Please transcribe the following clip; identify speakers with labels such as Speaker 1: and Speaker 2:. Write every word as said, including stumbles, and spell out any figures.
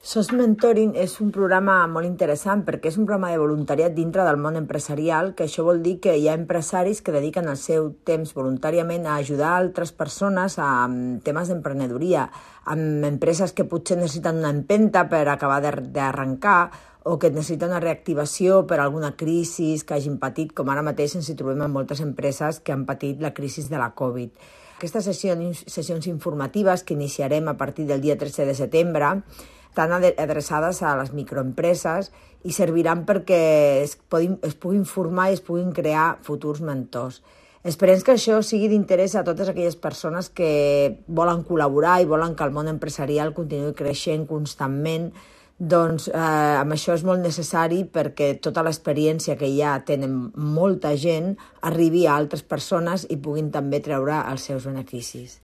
Speaker 1: SOS Mentoring és un programa molt interessant perquè és un programa de voluntariat dintre del món empresarial, que això vol dir que hi ha empresaris que dediquen el seu temps voluntàriament a ajudar altres persones a temes d'emprenedoria, amb empreses que potser necessiten una empenta per acabar d'arrencar o que necessiten una reactivació per alguna crisi que hagin patit, com ara mateix ens hi trobem amb moltes empreses que han patit la crisi de la Covid. Aquestes sessions, sessions informatives que iniciarem a partir del dia tretze de setembre estan adreçades a les microempreses i serviran perquè es, puguin, es puguin formar i es puguin crear futurs mentors. Esperem que això sigui d'interès a totes aquelles persones que volen col·laborar i volen que el món empresarial continuï creixent constantment. Doncs eh, amb això és molt necessari perquè tota l'experiència que ja tenen molta gent arribi a altres persones i puguin també treure els seus beneficis.